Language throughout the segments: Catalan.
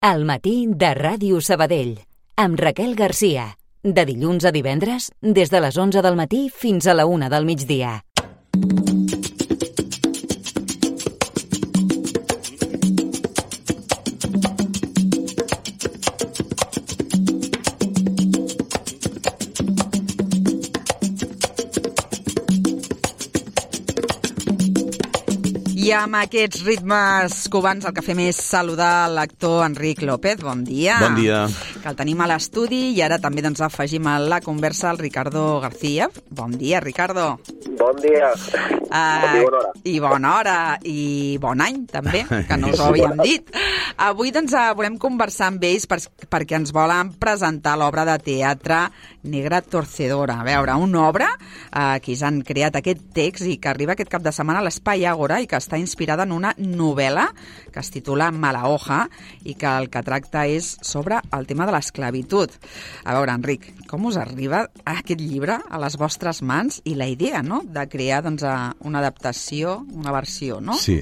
Al matí de Ràdio Sabadell, amb Raquel Garcia. De dilluns a divendres, des de les 11 del matí fins a la 1 del migdia. I amb aquests ritmes cubans el que fem és saludar l'actor Enric López. Bon dia. Bon dia. Que el tenim a l'estudi i ara també doncs, afegim a la conversa el Ricardo García. Bon dia, Ricardo. Bon dia. I bona hora. I bona hora. I bon any, també, que no us ho havíem dit. Avui doncs, volem conversar amb ells perquè ens volen presentar l'obra de teatre Negra Torcedora. A veure, una obra que ells han creat aquest text i que arriba aquest cap de setmana a l'Espai Àgora i que està inspirada en una novel·la que es titula Mala hoja i que el que tracta és sobre el tema de l'esclavitud. A veure, Enric, com us arriba aquest llibre a les vostres mans i la idea, no?, de crear doncs, una adaptació, una versió, no? Sí.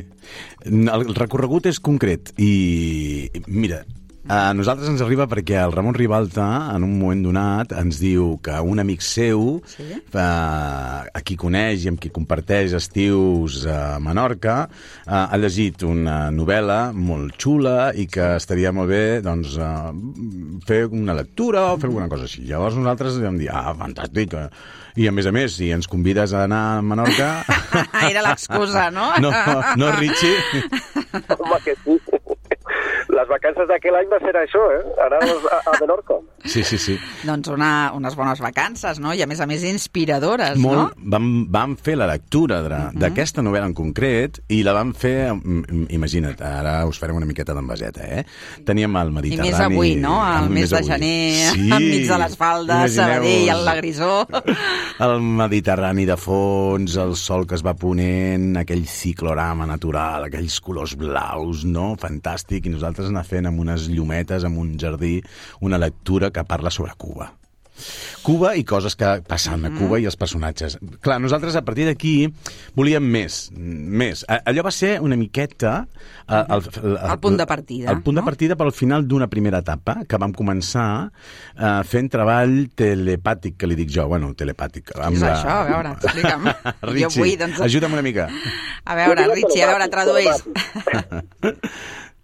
El recorregut és concret i, mira, a nosaltres ens arriba perquè el Ramon Ribalta, en un moment donat, ens diu que un amic seu, sí? A qui coneix i amb qui comparteix estius a Menorca, ha llegit una novel·la molt xula i que estaria molt bé doncs, fer una lectura o fer alguna cosa així. Llavors nosaltres vam dir, fantàstic, i a més, si ens convides a anar a Menorca... Era l'excusa, no? No, Richie? Home, que sí. Les vacances d'aquell any va ser això, anar a Menorca. Sí. Doncs unes bones vacances, no? I a més inspiradores, no? Vam fer la lectura d'aquesta novel·la en concret i la vam fer, imagina't, ara us farem una miqueta d'envaseta, Teníem el Mediterrani... I més avui, no? Al mes de gener, sí, enmig de les faldes, Sabadell, la grisó... El Mediterrani de fons, el sol que es va ponent, aquell ciclorama natural, aquells colors blaus, no? Fantàstic, i nosaltres anar fent amb unes llumetes, amb un jardí, una lectura que parla sobre Cuba. Cuba i coses que passen a Cuba i els personatges. Clar, nosaltres a partir d'aquí volíem més. Allò va ser una miqueta... El punt de partida. El punt de partida pel final d'una primera etapa que vam començar fent treball telepàtic, que li dic jo. Bueno, telepàtic. Què és això? A veure, explica'm. Richie, ajuda'm una mica. A veure, Richie, tradueix.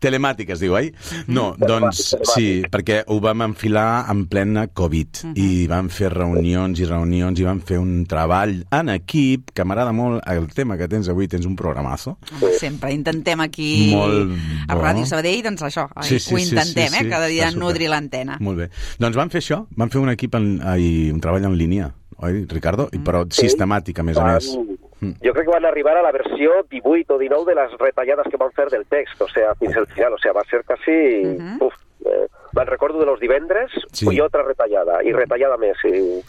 Telemàtic es diu, oi? No, doncs sí, perquè ho vam enfilar en plena Covid i vam fer reunions i vam fer un treball en equip, que m'agrada molt el tema que tens avui, tens un programazo. Sempre intentem aquí a Ràdio Sabadell, doncs això, ho intentem, cada dia nodrir l'antena. Molt bé. Doncs vam fer això, vam fer un equip un treball en línia, oi, Ricardo? Però sistemàtic, a més. Jo crec que van arribar a la versió 18 o 19 de les retallades que van fer del text, o sea, fins al final, o sea, va ser quasi... me'n recordo de los divendres i altra retallada, i retallada més.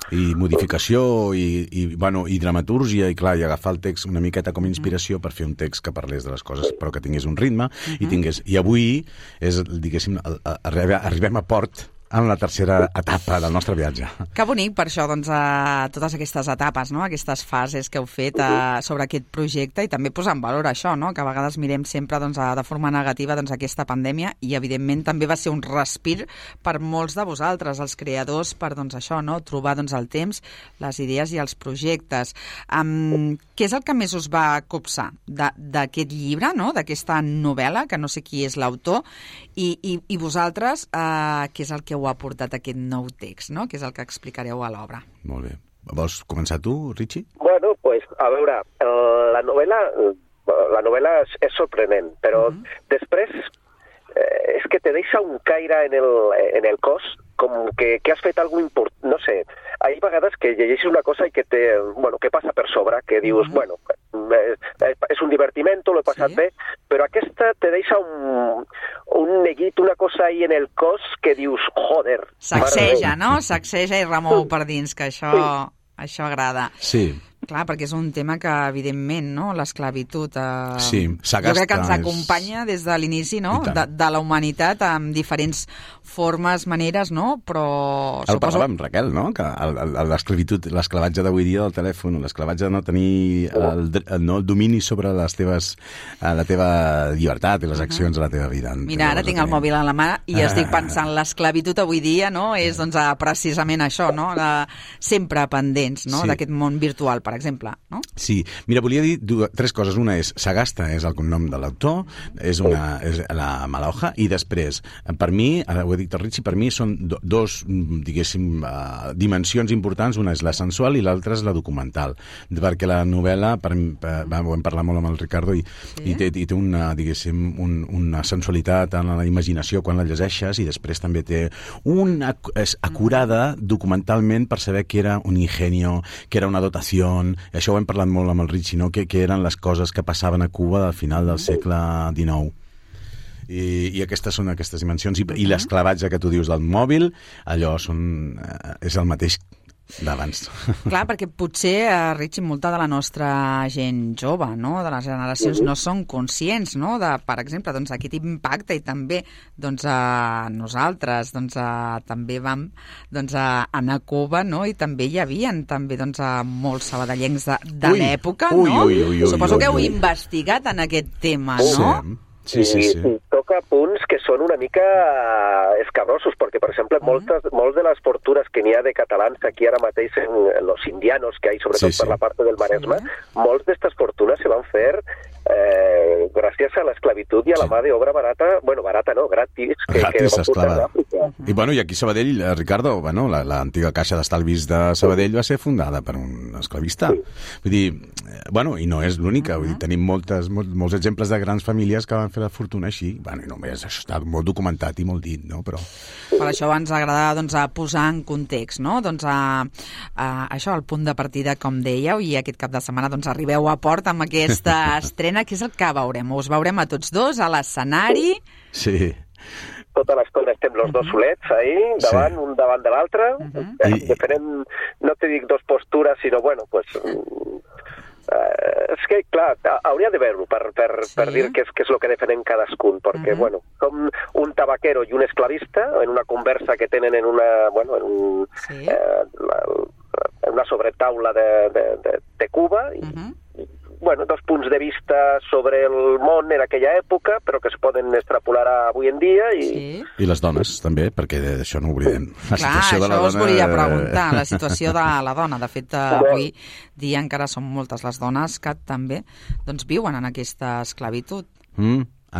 I modificació, i dramatúrgia, i clar, i agafar el text una miqueta com a inspiració per fer un text que parlés de les coses, però que tingués un ritme, i avui és, diguéssim, arribem a port en la tercera etapa del nostre viatge. Que bonic, per això, doncs, totes aquestes etapes, no?, aquestes fases que heu fet sobre aquest projecte i també posar en valor això, no?, que a vegades mirem sempre doncs, de forma negativa doncs, aquesta pandèmia i, evidentment, també va ser un respir per molts de vosaltres, els creadors, per doncs, això, no?, trobar doncs, el temps, les idees i els projectes. Què és el que més us va copsar d'aquest llibre, no?, d'aquesta novel·la, que no sé qui és l'autor, i vosaltres, què és el que heu aportat aquest nou text, no?, que és el que explicareu a l'obra. Molt bé. Vols començar tu, Richie? Bueno, pues, a veure, la novel·la és sorprenent, però després és que te deixa un caire en el cos, com que has fet alguna cosa important, no sé, hi ha vegades que llegeixes una cosa i que que passa per sobre, que dius, és un divertiment, l'he passat bé, però aquesta te deixa un neguit, una cosa ahí en el cos que dius, Sacseja, no? Sacseja i remou per dins, que això agrada. Sí. Clar, perquè és un tema que, evidentment, no? L'esclavitud... Sí, jo crec que ens acompanya des de l'inici, no? De la humanitat, amb diferents formes, maneres, no? Però... El parlàvem, Raquel, no? Que l'esclavitud, l'esclavatge d'avui dia del telèfon, l'esclavatge de no tenir el domini sobre la teva llibertat i les accions de la teva vida. Mira, ara tinc el mòbil a la mà i estic pensant, l'esclavitud avui dia, no? És, doncs, precisament això, no? Sempre pendents, no? D'aquest món virtual, per exemple, no? Sí. Mira, volia dir tres coses. Una és, Sagasta és el cognom de l'autor, és la Malahoja, i després, per mi, ho he dit el Richie, per mi són dos, diguéssim, dimensions importants. Una és la sensual i l'altra és la documental. Perquè la novel·la, ho hem parlat molt amb el Ricardo, i té una, diguéssim, una sensualitat en la imaginació quan la llegeixes, i després també té és acurada documentalment per saber que era un ingenio, que era una dotació. Això ho hem parlat molt amb el Richie, no? Que eren les coses que passaven a Cuba al final del segle XIX. I aquestes són aquestes dimensions. I l'esclavatge que tu dius del mòbil, allò és el mateix d'abans. Clar, perquè potser, Richie, molta de la nostra gent jove, no? De les generacions, no són conscients, no? De, per exemple, doncs, aquest impacte, i també doncs, nosaltres doncs, també vam doncs, anar a Cuba, no? I també hi havia també, doncs, molts sabadellencs de l'època, no? Suposo que heu investigat en aquest tema, no? Sí. I toca punts que són una mica escabrosos, perquè, per exemple, molts de les fortunes que n'hi ha de catalans aquí ara mateix en los indianos que hi ha, sobretot per la part del Maresme, molts d'estes fortunes se van fer gràcies a l'esclavitud i a la mà d'obra barata, bueno, barata no, gratis, que esclava. I aquí a Sabadell, Ricardo, l'antiga caixa d'estalvis de Sabadell va ser fundada per un esclavista. Vull dir, i no és l'única, tenim molts exemples de grans famílies que van fer la fortuna així. I només això està molt documentat i molt dit, no? Però... Per això ens agrada doncs, posar en context, no? Doncs, això, el punt de partida, com dèieu, i aquest cap de setmana doncs, arribeu a port amb aquesta estrena, que és el que veurem. Us veurem a tots dos a l'escenari. Sí. Tota l'estona estem los dos solets ahí, davant, un davant de l'altre. Diferent, no te dic dos postures, sinó, pues... és que, clar, hauria de veure-ho per dir què és el que defenen cadascun, perquè, com un tabaquero i un esclavista, en una conversa que tenen en una, en una sobretaula de Cuba, dos punts de vista sobre el món en aquella època, però que es poden extrapolar a avui en dia. I les dones, també, perquè d'això no oblidem. Clar, això us volia preguntar, la situació de la dona. De fet, avui dia encara són moltes les dones que també doncs, viuen en aquesta esclavitud.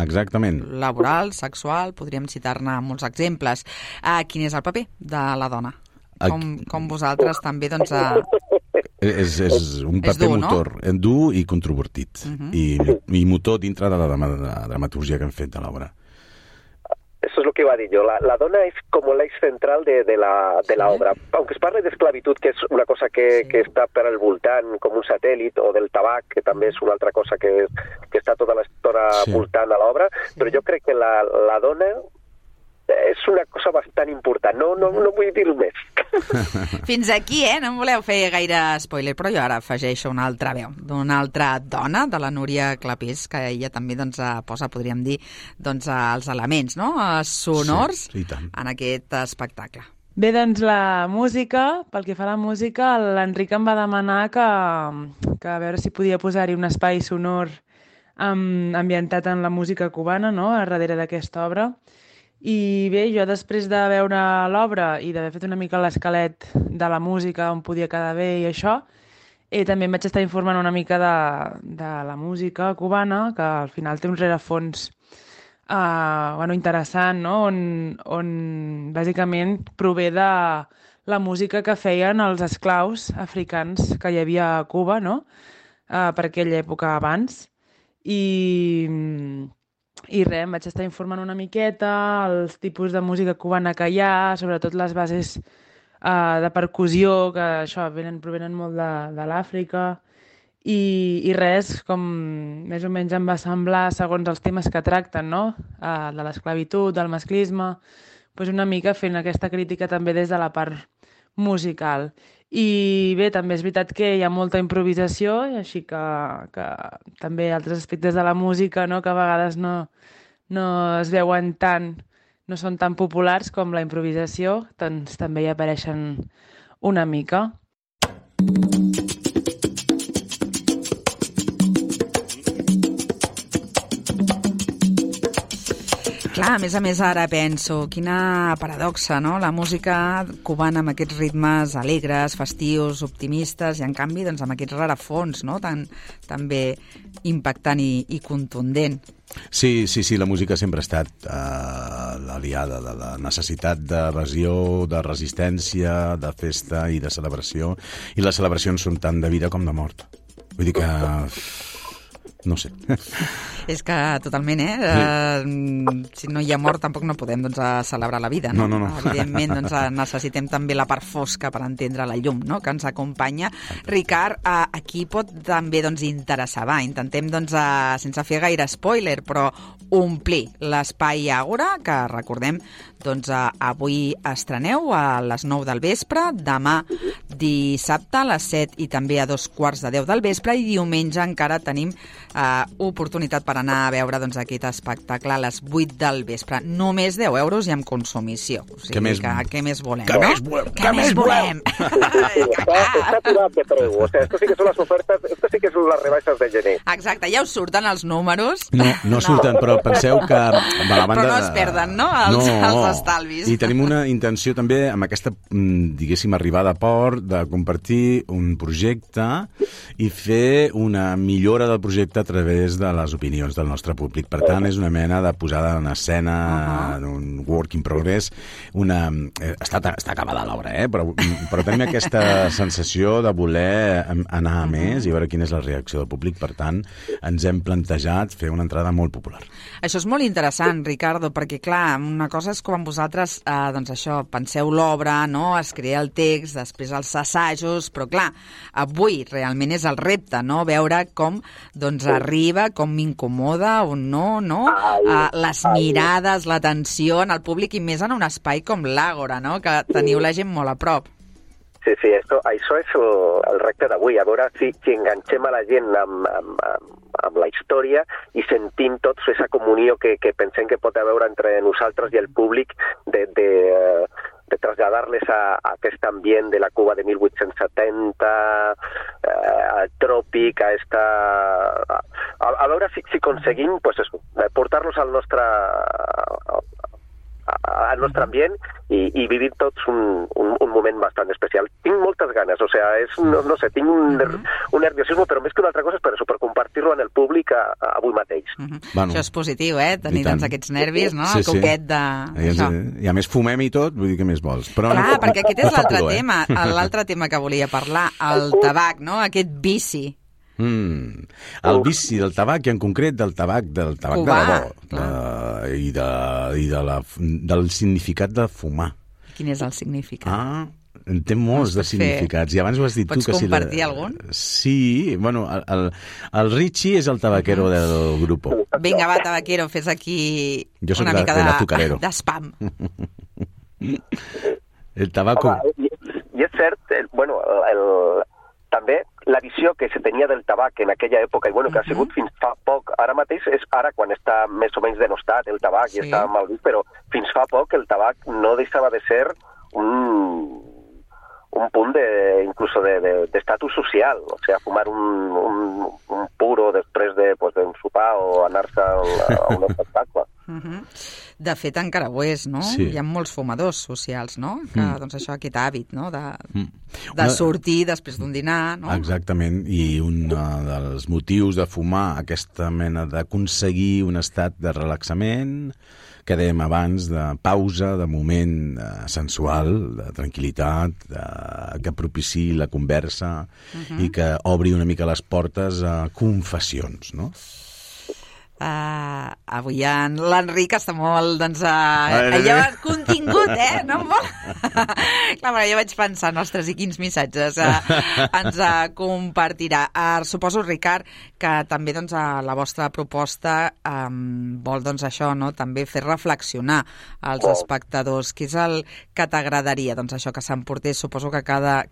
Exactament. Laboral, sexual, podríem citar-ne molts exemples. Quin és el paper de la dona? Com vosaltres també, doncs... És un paper motor, dur i controvertit, i motor dintre de la dramaturgia que han fet de l'obra. Eso es lo que iba a decir yo. La dona es como el eje central de la obra. Aunque es parle de esclavitud, que es una cosa que està per al voltant com un satèl·lit, o del tabac, que també és una altra cosa que està tota l'estona voltant a l'obra, però jo crec que la dona és una cosa bastant important. No vull dir-ho més. Fins aquí, no em voleu fer gaire spoiler, però jo ara afegeixo una altra veu d'una altra dona, de la Núria Clapés, que ella també doncs, posa, podríem dir, doncs, els elements sonors en aquest espectacle. Bé, doncs la música, pel que fa a la música, l'Enric em va demanar que a veure si podia posar-hi un espai sonor ambientat en la música cubana, no?, a darrere d'aquesta obra. I bé, jo després de veure l'obra i d'haver fet una mica l'esquelet de la música, on podia quedar bé i això, també em vaig estar informant una mica de la música cubana, que al final té un rerefons interessant, no? On bàsicament prové de la música que feien els esclaus africans que hi havia a Cuba, no? Per aquella època abans. I res, em vaig estar informant una miqueta, els tipus de música cubana que hi ha, sobretot les bases de percussió, que això provenen molt de l'Àfrica, i res, com més o menys em va semblar, segons els temes que tracten, no?, de l'esclavitud, del masclisme, doncs una mica fent aquesta crítica també des de la part musical. I bé, també és veritat que hi ha molta improvisació, així que també altres aspectes de la música, no?, que a vegades no es veuen tant, no són tan populars com la improvisació, doncs també hi apareixen una mica. Clar, a més, ara penso, quina paradoxa, no?, la música cubana amb aquests ritmes alegres, festius, optimistes, i en canvi doncs, amb aquests rarafons, no?, tan bé impactant i contundent. Sí, la música sempre ha estat l'aliada de la necessitat d'evasió, de resistència, de festa i de celebració, i les celebracions són tant de vida com de mort. Vull dir que... no sé. És que totalment, si no hi ha mort tampoc no podem celebrar la vida, no? No. Evidentment necessitem també la part fosca per entendre la llum, no?, que ens acompanya. Ricard, aquí pot també interessar, intentem, sense fer gaire spoiler, però omplir l'espai Àgora, que recordem, avui estreneu a les 9 del vespre, demà dissabte a les 7 i també a 2:15 del vespre, i diumenge encara tenim oportunitat per anar a veure aquest espectacle a les 8 del vespre. Només 10 euros i amb consumició. O sigui, què més volem? Què més volem? Està aturat de preu. O sea, esto sí que són les ofertes, esto sí que són les rebaixes de gener. Exacte, ja us surten els números. No surten, però penseu que... Però no es perden, no?, els estalvis. I tenim una intenció també amb aquesta, diguéssim, arribada a port, de compartir un projecte i fer una millora del projecte a través de les opinions del nostre públic. Per tant, és una mena de posada en escena, un work in progress. Està acabada l'obra, però tenim aquesta sensació de voler anar a més i veure quina és la reacció del públic. Per tant, ens hem plantejat fer una entrada molt popular. Això és molt interessant, Ricardo, perquè, clar, una cosa és quan vosaltres, penseu l'obra, no?, es crea el text, després els assajos, però, clar, avui realment és el repte, no?, veure com, arriba, com m'incomoda o no, les mirades, l'atenció en el públic, i més en un espai com l'Àgora, no?, que teniu la gent molt a prop. Sí, això és el repte d'avui, a veure si enganxem a la gent amb la història i sentim tots aquesta comunió que pensem que pot haver entre nosaltres i el públic de traslladar-les a aquest ambient de la Cuba de 1870, al tròpic, a veure si aconseguim portar-los al nostre ambient i vivir tots un moment bastant especial. Tinc moltes ganes, o sea, no sé, tinc un nerviosisme, però més que una altra cosa és per això, per compartir-lo en el públic avui mateix. Bueno, això és positiu, tenir aquests nervis, no? Sí, el coquet de... I a més fumem i tot, vull dir que més vols. Però clar, perquè aquest és l'altre tema, l'altre tema que volia parlar, el tabac, no? Aquest vici. El vici del tabac, i en concret del tabac Cubà, de debò, i del significat de fumar. Quin és el significat? Té molts de significats, i abans ho has dit tu. Pots compartir algun? Sí, bueno, el Richie és el tabaquero del grup. Vinga, va, tabaquero, fes aquí una mica de spam. El tabaco... I és cert, també la visió que se tenia del tabac en aquella època, i que ha sigut fins fa poc, ara mateix és ara quan està més o menys denostat el tabac i està mal vist, però fins fa poc el tabac no deixava de ser un punt incluso d'estatus social, o sigui, fumar un puro després d'un sopar o anar-se a un espectacle. De fet, encara ho és, no? Sí. Hi ha molts fumadors socials, no? Que, aquest hàbit, no? De sortir després d'un dinar, no? Exactament, i un dels motius de fumar, aquesta mena d'aconseguir un estat de relaxament, que dèiem abans, de pausa, de moment sensual, de tranquil·litat, que propiciï la conversa i que obri una mica les portes a confessions, no? Avui l'Enric està molt, doncs, allò contingut, no? Clar, jo vaig pensar, ostres, i quins missatges ens compartirà. Suposo, Ricard, que també, doncs, la vostra proposta vol, doncs, això, no?, també fer reflexionar els espectadors. Què és el que t'agradaria? Doncs això, que s'emportés, suposo que cada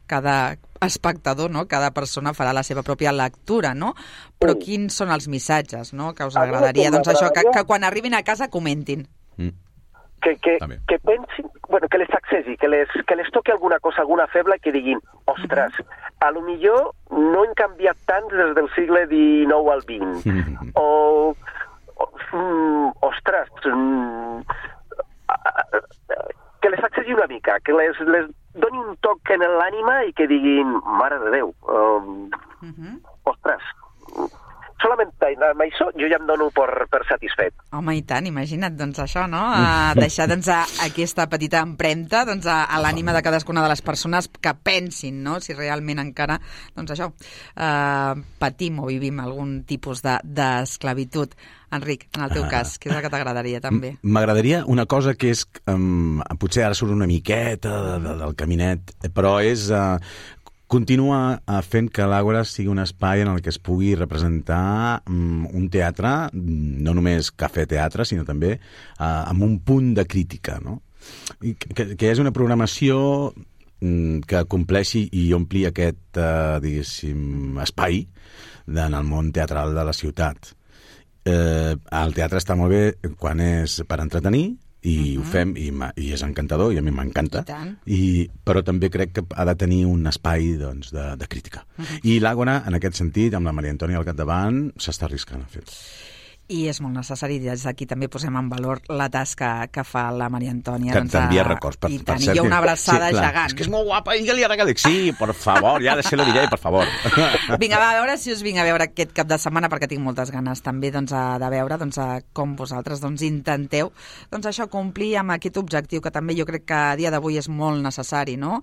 espectador, no?, cada persona farà la seva pròpia lectura, no? Però quins són els missatges, no?, que us agradaria? Doncs això, que quan arribin a casa comentin. Que pensin, bueno, que les sacsegi, que les toqui alguna cosa, alguna feble, que diguin, ostres, a lo millor no hem canviat tant des del segle XIX al XX. Ostres, que les sacsegi una mica, que les doni un toc en l'ànima i que diguin, mare de Déu, ostres, solament amb això jo ja em dono per satisfet. Home, i tant, imagina't, doncs això, no? Deixar, doncs, aquesta petita empremta, doncs, a l'ànima de cadascuna de les persones que pensin, no?, si realment encara, doncs això, patim o vivim algun tipus d'esclavitud. Enric, en el teu cas, què és el que t'agradaria també? M'agradaria una cosa que és, potser ara surt una miqueta del caminet, però és continua fent que l'Àgora sigui un espai en el que es pugui representar un teatre, no només cafè-teatre, sinó també amb un punt de crítica, no? Que hi hagi una programació que compleixi i ompli aquest, diguéssim, espai en el món teatral de la ciutat. El teatre està molt bé quan és per entretenir i ho fem i és encantador i a mi m'encanta, però també crec que ha de tenir un espai, doncs, de crítica. I l'Àgora, en aquest sentit, amb la Maria Antònia al capdavant, s'està arriscant a fer. I és molt necessari, des d'aquí també posem en valor la tasca que fa la Maria Antònia. Que t'envia records, per cert. I jo una abraçada gegant. És que és molt guapa, digue-li ara que dic, sí, per favor, ja de ser la DJ, per favor. Vinga, va, a veure si us vinc a veure aquest cap de setmana, perquè tinc moltes ganes també, doncs, de veure, doncs, com vosaltres, doncs, intenteu, doncs, això, complir amb aquest objectiu, que també jo crec que a dia d'avui és molt necessari, no?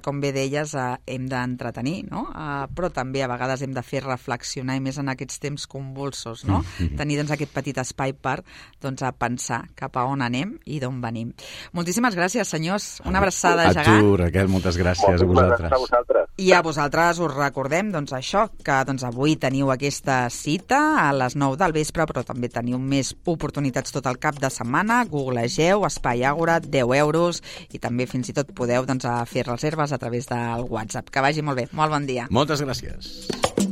Com bé deies, hem d'entretenir, no? Però també a vegades hem de fer reflexionar, i més en aquests temps convulsos, no? Tenir, doncs, aquest petit espai per, doncs, a pensar cap a on anem i d'on venim. Moltíssimes gràcies, senyors. Una abraçada gegant. A tu, Raquel, moltes gràcies a vosaltres. I a vosaltres us recordem, doncs, això, que, doncs, avui teniu aquesta cita a les 9 del vespre, però també teniu més oportunitats tot el cap de setmana. Googlegeu Espai Àgora, 10 euros, i també fins i tot podeu, doncs, fer reserves a través del WhatsApp. Que vagi molt bé. Molt bon dia. Moltes gràcies.